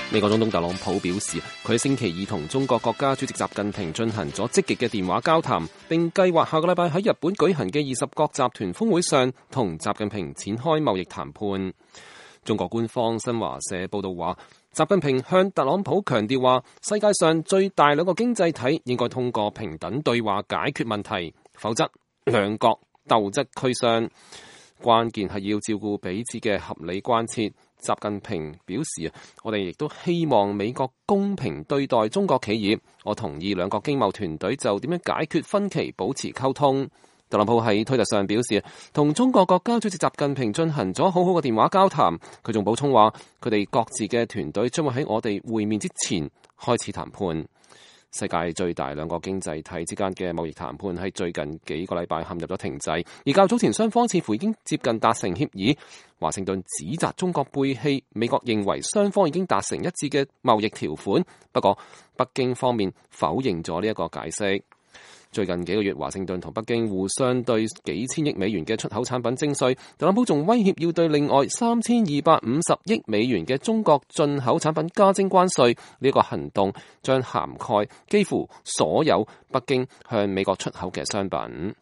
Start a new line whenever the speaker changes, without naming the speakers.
美國總統特朗普表示，佢喺星期二同中國國家主席習近平進行咗積極嘅電話交談，並計劃下個禮拜喺日本舉行嘅20國集團峰會上同習近平展開貿易談判。中國官方新華社報道話，習近平向特朗普強調話，世界上最大兩個經濟體應該通過平等對話解決問題，否則兩國鬥則俱傷。關鍵係要照顧彼此嘅合理關切。習近平表示，我哋亦都希望美國公平對待中國企業。我同意兩國經貿團隊就點樣解決分歧保持溝通。特朗普喺推特上表示，同中國國家主席習近平進行咗好好嘅電話交談。佢仲補充話，佢哋各自嘅團隊將會喺我哋會面之前開始談判。世界最大兩個經濟體之間嘅貿易談判喺最近幾個禮拜陷入咗停滯，而較早前雙方似乎已經接近達成協議。華盛頓指責中國背棄美國認為雙方已經達成一致嘅貿易條款，不過北京方面否認咗呢一個解釋。最近幾個月，華盛頓同北京互相對幾千億美元嘅出口產品徵稅，特朗普仲威脅要對另外3250億美元嘅中國進口產品加徵關稅。呢個行動將涵蓋幾乎所有北京向美國出口嘅商品。